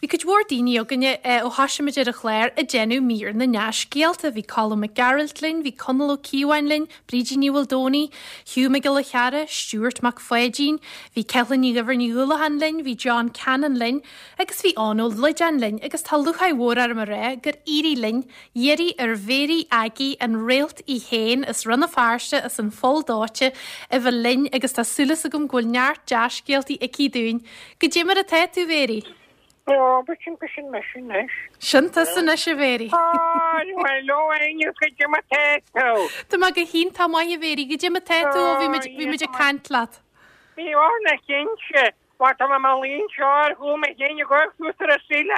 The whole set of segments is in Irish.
Bhí cuid mhór daoine againne ó thoisigh muid ar an chlár ag déanamh mír na ndea-scéalta. Bhí Colm Mac Gearailt linn, bhí Conall Ó Cíobháin linn, Brídín Ní Mhaoldomhnaigh, Hugh Mac Giolla Chearra, Stuart Mac Pháidín, bhí Ceithleann Ní Dhuibhir Ní Dhúlacháin linn, bhí John Cannon linn agus bhí Eoin Ó Loideáin linn agus tá lúcháir mhór orm a rá gur éirigh linn iarraidh ar Mhéirí Aggie, an réalt í féin as Rann na Feirste as an Pholl Dóite, a bheith linn agus tá súil agam go bhfuil neart dea-scéaltaí aici dúinn. Goidé mar atá tú, Mhéirí? Ó, b'shin, b'shin mise anois. Sin tusa anois, a Mhéirí. Hello, Áine, goidé mar atá tú? Tá mé go hiontach maith, a Mhéirí. Goidé mar atá tú ó bhí muid, bhí muid ag caint leat? Bhí orna cinnte. Bhuel, tá mé i mo luí anseo ar chúl mo chinn ag amharc suas ar an tsíle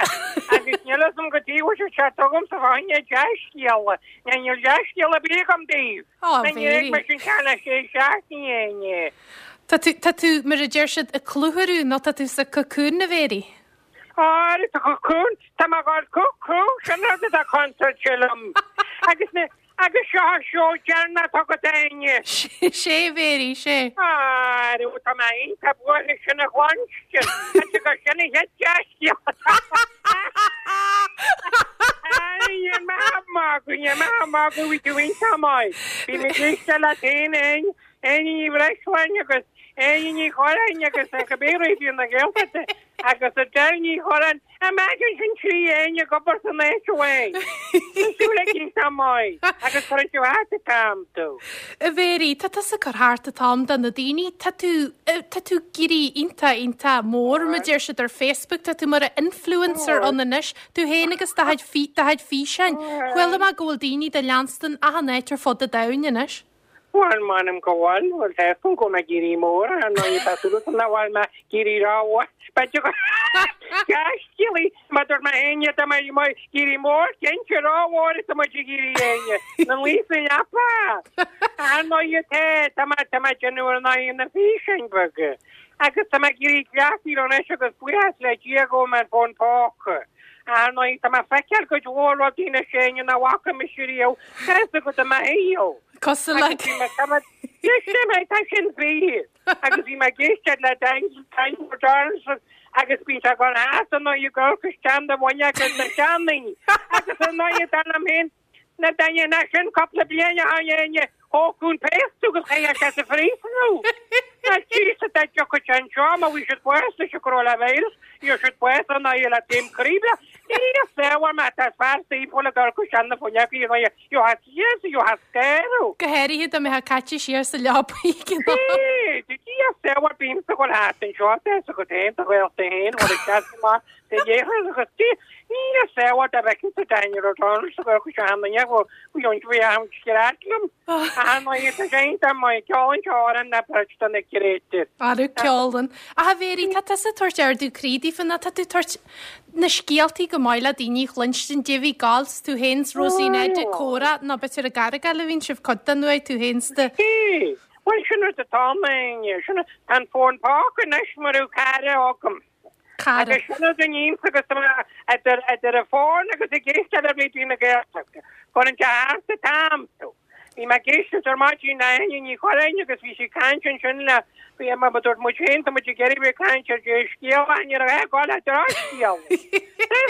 agus níl fhios agam goidé a bhfuil sé ceart agamsa fá choinne dea-scéala. Ná níl dea-scéal ar bith agam daoibh. Á, Ná níor Mhéirí. fhág mise an ceann le sé seachtaine, a Áine. Tá tú, tá tú, mar a deir siad, ag clutharú nó tá tú sa cocoon, a Mhéirí? Á, sa cocoon, tá mé ag gabháil cuckoo, sin rud atá contúirteach liom. Agus na, Agus seo an seó deireanach agat a Áine. Sé, a Mhéirí, sé. Arú, tá mé iontach buartha sin a chluinstin. Tá go sin a chéad dea-scéal. Níl mé ag magadh, níl mé ag magadh, bhí tú iontach maith. Bhí mé ag éisteacht leat féin, Áine, Áine Ní Bhreisleáin agus Áine Ní Churráin agus cibé Raidió na Gaeltachta agus Adele Ní Churráin. Imagine sin 3 Áine ag obair san áit amháin. Tá súil ag iontach maith agus cuireann tú thart an t-am tú. A Mhéirí, tá tusa ag cur thart an t-am do na daoine. Tá tú, tá tú ag éirí iontach, iontach mór, mar a deir siad ar Facebook. Tá tú mar influencer ann anois. Tú féin agus do chuid, do chuid físeáin. Chuala mé go bhfuil daoine do leanstan achan áit ar fud an domhain anois. Bhuel, m'anam go bhfuil, bhuel, tá fhios agam go bhfuil mé ag éirí mór, ar ndóigh, tá súil agam nach bhfuil mé ag éirí rómhór, b'fhéidir go dea-scéalaí, mar dúirt mé féin, tá mé ag éirí mór, cinnte, rómhór atá muid ag éirí Áine, na luí sa leapa. Ar ndóigh, tá, tá mé, tá mé ag déanamh ar ndóigh na físeáin bheaga, agus tá mé ag éirí cleachtaithe anois agus buíochas le Dia go bhfuil mé ar fón póca. Ar ndóigh, tá mé ag feiceáil cuid mhór rudaí anois Áine nach bhfaca mise riamh, tá fhios agat i mo shaol. Cosúil le. Agus bhí mé, tá mé, éist mé, tá sin fíor. Agus bhí mé ag éisteacht le Daniel O'Donnell agus bíonn sé ag dul thart ar ndóigh ag amharc isteach na bhfuinneog ar na seandaoine. Agus ar ndóigh, dar liom féin, na daoine nach sin cúpla bliain ó shin Áine, thógfadh an péas tú agus chaithfeadh sé sa phríosún thú. Ná tíos a dá dtiocfadh sé anseo má bhí siad bás leis an coronavirus, níl siad bás ar ndóigh le taom craoibhe. Ní saor má tá fear saoithiúil ag amharc isteach na fuinneoga ar ndóigh. You have yes, you have scare. Go háirithe dá mbeifeá caite siar sa leabaidh ag an am. Sea, Dia saor bímse ag dul thart anseo, tá fhios agat féin, do ghaolta féin, bhfuil ag teacht amach sa léithreas agus Dia, Dia saor dá bhfeicfinn sa Daniel O'Donnell sa ghaol seo cheana inniu, bhfuil bhí an bhí an scread liom. Ach ar ndóigh, tá sé iontach maith, ceol anseo ar an na beirt do na créatúir. Arú ceol an. Ach a Mhéirí, tá tusa ag tabhairt ardú croí daofa nó tá tú ag tabhairt na scéaltaí go maith le daoine a chluinstin, Davy Galt's, tú féin 's Rosie Ned ag comhrá, nó b'fhéidir i gCarraigeáil a bhíonn sibh cuid den uair, tú féin 's do. Sea, bhuel sin rud atá ann, sin, tá an fón póca anois mar raibh cara agam. Cara. Agus sin rud a nímse agus tá mé idir, idir an fón agus ag éisteacht le Raidió na Gaeltachta. Cuireann sé thart an t-am tú. Bhí mé ag éisteacht ar maidin le Áine Ní Churráin agus bhí sí ag caint ansin le, bhí, mar a dúirt muid féin, tá muid ag iarraidh bheith ag caint ar dea-scéal ach ní raibh ag dul le drochscéal.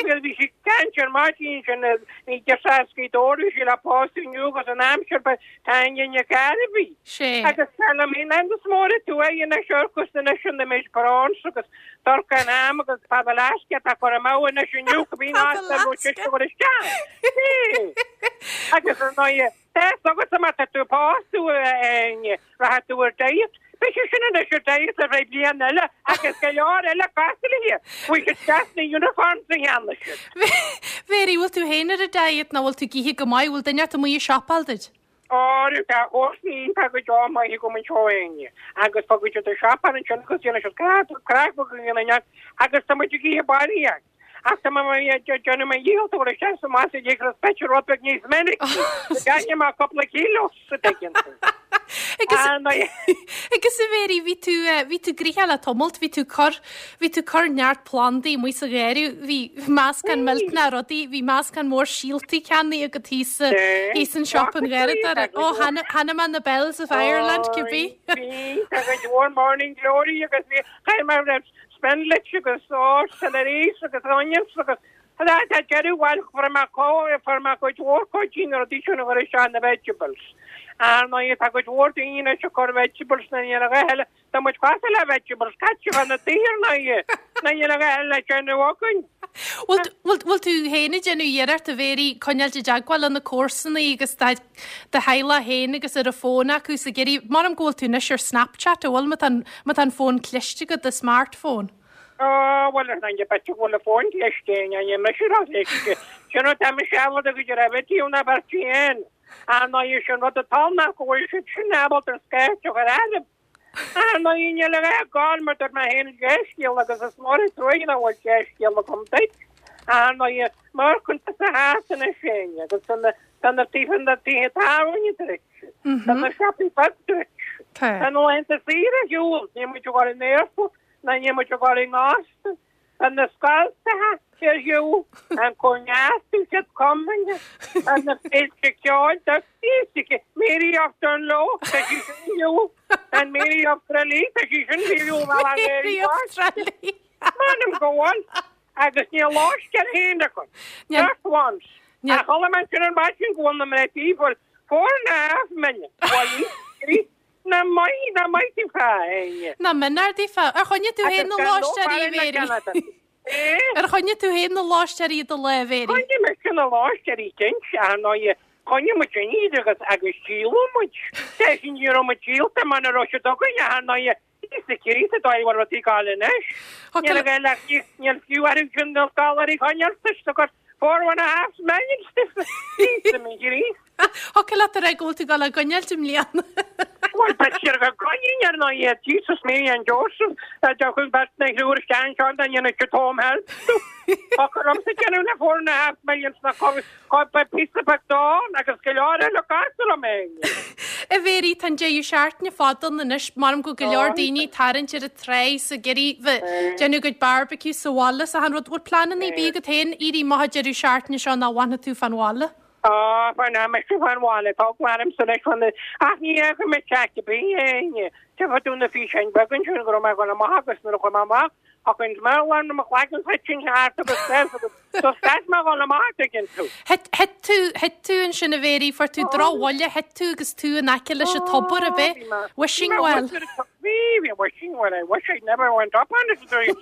Bhí sí ag caint ar maidin ansin ní deirtear as Gaoth Dobhair, bhí sí le pósadh inniu agus an aimsir ba Áine Nic Gairbhí. Sé. Agus tá liom féin an is mór a tú é anois orcus anois an image bronze agus dorcha an am agus fada leasc atá cur amú anois inniu go bíonn áit le nó sise go isteach. Agus ar ndóigh, tá fhios agatsa má tá tú pósta a Áine, rachaidh tú ar diet. Beidh sé sin anois ar diet ar feadh bliain eile agus go leor eile cosúil léi. Bhfuil siad isteach sna uniforms a cheannaigh siad. Mhéirí, bhfuil tú féin ar an diet nó bhfuil tú ag ithe go maith? Bhfuil duine ort amuigh ag siopáil duit? Óir tá comharsana iontach go deo maith agam anseo a Áine agus fágfaidh siad an siopa ansin agus déanfaidh siad craic craic beag againn ann agus tá muid ag ithe barraíocht. Ach tá mé ag déanamh mo dhícheall tabhairt isteach sa mbaile ag ithe b'fhéidir rud beag níos minicí go gcaillfidh mé cúpla kilo sa dtuigeann tú. Agus Ar ndóigh. agus a Mhéirí bhí tú bhí tú gnoitheach le tamalt, bhí tú cur bhí tú cur neart plandaí amuigh sa gharraí, bhí meascán millteanach rudaí, bhí meascán mór síoltaí ceannaithe agat thíos sa thíos in siopa an gharradóra. Ó chonaic chonaic mé na Bells of Ireland cibé. Bhí, agus mhór Morning Glory agus bhí, chaill mé raibh. spinach agus ó, celery agus onions agus tá deireadh bhuel fuair mé fuair mé cuid mhór cuid de na rudaí sin a chur isteach na vegetables. Ar ndóigh tá cuid mhór daoine anois ag cur vegetables na níl a dhath eile Tá muid cosúil le vegetables caite fá na tithe ar ndóigh, ná níl a dhath eile le déanamh againn. Bhfuil tú féin ag déanamh iarracht a Mhéirí coinneáilt i dteagmháil le na comharsanaí agus do theaghlach féin agus ar an bhfón acu is ag iarraidh, maram go bhfuil tú anois ar Snapchat, an bhfuil, má tá má tá an fón cliste agat, do smartphone? Ó, bhuel ar ndóigh, b'fhéidir go bhfuil an fón cliste, ní mise ró-chliste. Sin rud tá mise ábalta go dtí raibh taobh na beirte féin. Ar ndóigh, sin rud atá ann ná go bhfuil siad sin ábalta an scairt a chur orm. Ar ndóigh, níl a dhath ag gabháil mar dúirt mé féin dea-scéal agus is mór an truaighe nach bhfuil dea-scéal agam duit. Ar ndóigh, mar chuntas a theas anois féin agus tá na tá na tithe na tithe tábhairne druidte, tá na siopaí beag druidte, tá na laethanta saoire ar shiúl, níl muid ag dul in aerfort ná níl muid ag dul in óstan. Tá na scoltacha ar shiúl, an cóineasú siad cumainn, tá na féilte ceoil, tá físice, Mary of Dungloe, tá sí sin ar shiúl, an Mary of Tralee, tá sí sin ar shiúl, Mary of Tralee. M'anam go bhfuil, agus níl lóiste ar aon acu, just once. Ach chuala mé ansin ar maidin go bhfuil na mná tí full 4.5 million, bhuel, Nach maith, nach maith daofa, a Áine. Nach méanar daofa. Ar choinnigh tú féin na lóistéirí, a Mhéirí? Ar choinnigh tú féin na lóistéirí i do láimh, a Mhéirí? Choinnigh mise na lóistéirí cinnte, ar ndóighe. Choinnigh muid sin iad agus, agus díoladh muid. Deis ní raibh muid díolta muna raibh siad againn, ar ndóighe. Íosa Críost an dóigh a bhfuil rudaí ag gabháil anois. Níl a ghael ach níl fiú orthu sin na dolláirí a choinneáil sa gur 4.5 million Íosa mo Chríost. Thiocfadh leat a rá go bhfuil tú ag dul á gcoinneáilt i mbliana. Bhuel, b'fhéidir go gcoinnínn ar ndóigh iad, Jesus Mary and Joseph, a dtiocfadh beirt nó thriúr isteach anseo dá ndéanfadh siad home help domh. Thiocfadh liomsa déanamh le 4.5 million sna cupboard píosa beag donn agus go leor eile cosúil liom féin. A Mhéirí, tá an deireadh seachtaine fada ann anois, maram go bhfuil go leor daoine ag tarraingt ar an tráigh 's ag iarraidh bheith déanamh a gcuid barbecue sa bhaile 's achan rud. Bhfuil pleananna ar bith agat féin éirí amach an deireadh seachtaine seo nó an bhfanfaidh tú fán bhaile? Á, fanfaidh mise fán bhaile, tá eagla ormsa anois fán ach ní fhágfaidh mé teach ar bith, a Áine. Tchífidh tú na físeáin beaga ansin go raibh mé ag dul amach agus nuair a chuaigh mé amach, thug an smell orm mo chloigeann thit thart agus suas agus do stad mé a dhul amach, an dtuigeann tú. Thit, thit tú, thit tú ansin a Mhéirí, fuair tú drochbhuille, thit tú agus tú in aice leis an tobar, ab é? Wishing well. Bhí, bhí wishing well, I wish I never went up on it. Bhí,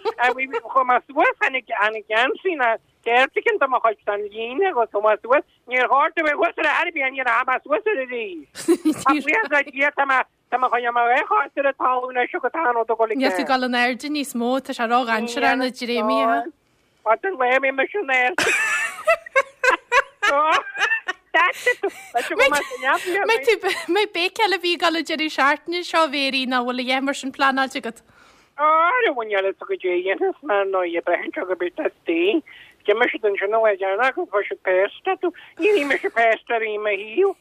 chuaigh mé suas, tháinig, tháinig geansaí na, Ceird de mo chuid san líne agus chuaigh mé suas, níor chóir domh bheith thuas ar chor ar bith, ní rachaidh mé suas air arís. Ach buíochas le Dia tá mé, tá mé chun mo dhá chos ar an talamh anois agus tá an rud ag dul i Níl tú ag dul in airde níos mó, tá sé ródhainséarach na dréimí. Fad an lae bhí mise in airde. Mbeidh béicéil a bhí ag dul an deireadh seachtaine seo, a Mhéirí, nó bhfuil a dhath mar sin pleanáilte agat? Ara bhain eile sa gcuid a dhéanfas mé ná a bheith anseo go bit istigh. D'imigh siad ansin an lá deireanach agus fuair siad péasta tú. Níor ith mise péasta ariamh i mo shaol.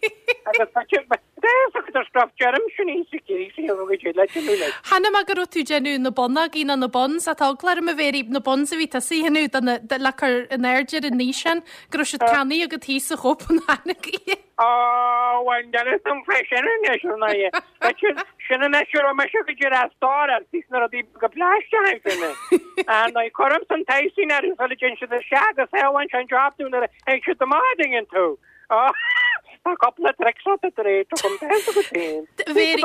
Agus tá siad, tá fhios agat ar stuff deirim sin í sa chéad saol go dtí le déanamh leis. Chonaic mé go raibh tú ag déanamh na bonnógaí nó na buns, tá eagla orm a Mhéirí, na buns a bhí tusa a dhéanamh do na, le cur in airde ar an fhíseán, go raibh siad ceannaithe agat thíos sa Chópenháinig. Ó, bhuel, níl fhios agam fé sin anois, ar ndóigh. B'fhéidir, sin anois a raibh mise go dtí as dár, thíos na rudaí beaga plaisteacha sin. Ar ndóigh, cuirim san t-icing orthu sula dtéann siad isteach agus sábhálann sé an job dúinn nuair a théann siad amach, an dtuigeann tú. Ó, tá cúpla tricks out the trade agam, tá fhios agat féin. Mhéirí,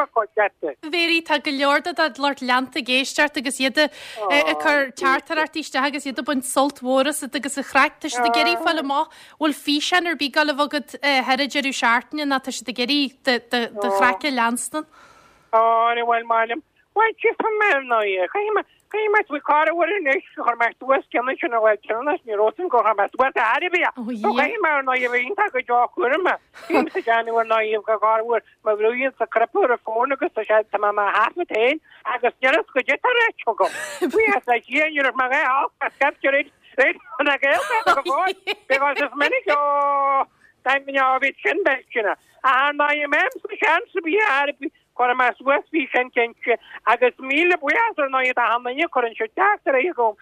Mhéirí, tá go leor de do lucht leanta ag éisteacht agus iad ag cur teachtaireachtaí isteach agus iad ag baint sult mhór asat agus an chraic. Tá siad ag iarraidh fáil amach Bhfuil físeán ar bith ag dul a bheith agat thar an deireadh seachtaine nó tá siad ag iarraidh do chraic a leanstan? Ó, ní bhfuil maith liom. Bhuel, tchífidh mé ar ndóigh. Caithfidh mé, caithfidh mé faoi corruair anois gur chuir mé suas ceann ansin a bhfuil ceann ní raibh san gur chuir mé suas a aire bia. Ó, So caithfidh mé ar ndóigh a bheith iontach go deo cúram mé. Bím sa déanamh ar ndóigh go corruair mo bhrúíonn sa cripple ar an bhfón agus tá sé, tá mé mo thaifead féin agus níl fhios goidé tá ráite agam. Buíochas le Dia ní raibh mé dhá olc as scaiptear Na Gaeltacht go fóill, because is minic ó bhí sin beisteanna. Ach ar ndóigh, mé sa seans a bhí ar. Cuirfidh mé suas físeán cinnte agus míle buíochas ar ndóigh do achan duine a chuireann siad teachtaireachtaí chugam,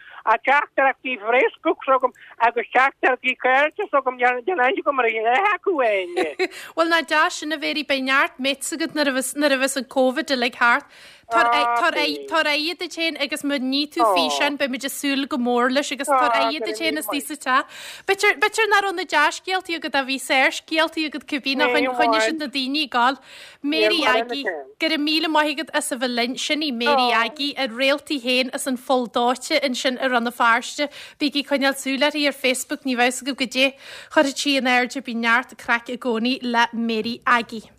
teachtaireachtaí Facebook s'agam agus teachtaireachtaí cairde s'agam, níl aithne agam ar aon duine acu féin. Bhuel nach deas sin a Mhary, beidh neart mates agat nuair a bheas nuair a bheas an Covid uilig thart. Tabhair tabhair aire duit féin agus má ní tú físeán beidh muid ag súil go mór leis agus tabhair aire duit féin istigh sa teach. B'fhéidir b'fhéidir nach raibh na dea-scéaltaí agat ach bhí sárscéaltaí agat cibé nó choinnigh siad na daoine ag gabháil. Mary Aggie, Go raibh míle maith agat as a bheith linn. Sin í Mary Aggie, a réalta féin as an Pholl Dóite ansin i Rann na Feirste. Bígí ag coinneáil súil uirthi ar Facebook, ní bheidh fhios agaibh goidé chuirfidh sí in airde, bíonn neart craic i gcónaí le Mary Aggie.